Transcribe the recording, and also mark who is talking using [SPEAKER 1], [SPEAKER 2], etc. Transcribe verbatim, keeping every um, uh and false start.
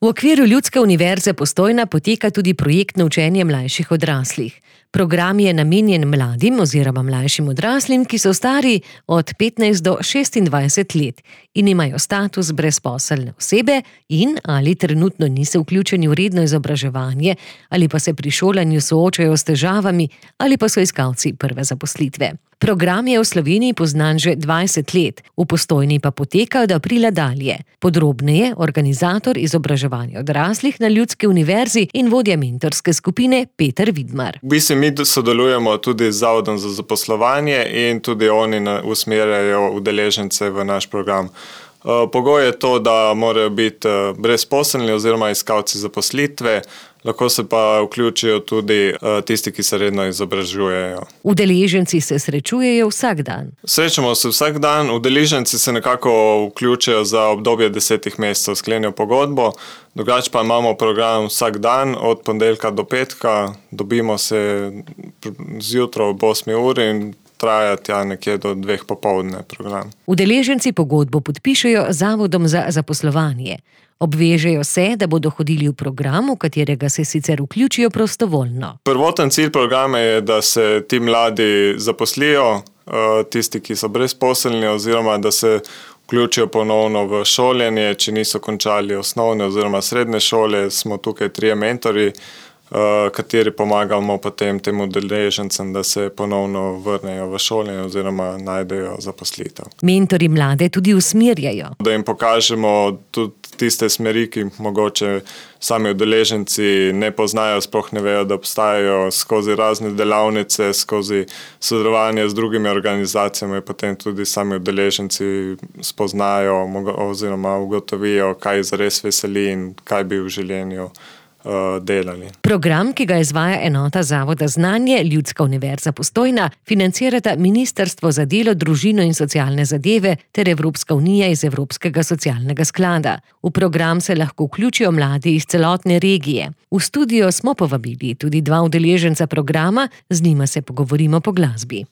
[SPEAKER 1] V okviru Ljudske univerze Postojna poteka tudi projektno učenje mlajših odraslih. Program je namenjen mladim oziroma mlajšim odraslim, ki so stari od petnajst do šestindvajset let in imajo status brezposelne osebe in ali trenutno niso vključeni v redno izobraževanje ali pa se pri šolanju soočajo s težavami ali pa so iskalci prve zaposlitve. Program je v Sloveniji poznan že dvajset let, v Postojni pa poteka od aprila dalje. Podrobneje organizator izobraževanja odraslih na Ljudski univerzi in vodja mentorske skupine Peter Vidmar.
[SPEAKER 2] V bistvu mi sodelujemo tudi z Zavodom za zaposlovanje in tudi oni usmerjajo udeležence v naš program. Pogoj je to, da morajo biti brezposelni oziroma iskalci zaposlitve, lahko se pa vključijo tudi tisti, ki se redno izobražujejo.
[SPEAKER 1] Udeleženci se srečujejo vsak dan.
[SPEAKER 2] Srečamo se vsak dan, udeleženci se nekako vključijo za obdobje desetih mesecev, sklenijo pogodbo, drugače pa imamo program vsak dan, od ponedeljka do petka, dobimo se zjutraj ob osmi uri in traja tja nekje do dveh popoldne program.
[SPEAKER 1] Udeleženci pogodbo podpišejo z Zavodom za zaposlovanje. Obvežejo se, da bodo hodili v program, v katerega se sicer vključijo prostovoljno.
[SPEAKER 2] Prvoten cilj programa je, da se ti mladi zaposlijo, tisti, ki so brezposelni, oziroma da se vključijo ponovno v šolanje, če niso končali osnovne oziroma srednje šole. Smo tukaj trije mentorji, kateri pomagamo potem tem udeležencem, da se ponovno vrnejo v šolanje oziroma najdejo zaposlitev.
[SPEAKER 1] Mentorji mlade tudi usmerjajo.
[SPEAKER 2] Da jim pokažemo tudi tiste smeri, ki mogoče sami udeleženci ne poznajo, sploh ne vejo, da obstajajo, skozi razne delavnice, skozi sodelovanje z drugimi organizacijami, potem tudi sami udeleženci spoznajo oziroma ugotovijo, kaj zares veseli in kaj bi v življenju delali.
[SPEAKER 1] Program, ki ga izvaja enota Zavoda Znanje, Ljudska univerza Postojna, financirata Ministrstvo za delo, družino in socialne zadeve ter Evropska unija iz Evropskega socialnega sklada. V program se lahko vključijo mladi iz celotne regije. V studio smo povabili tudi dva udeleženca programa, z njima se pogovorimo po glasbi.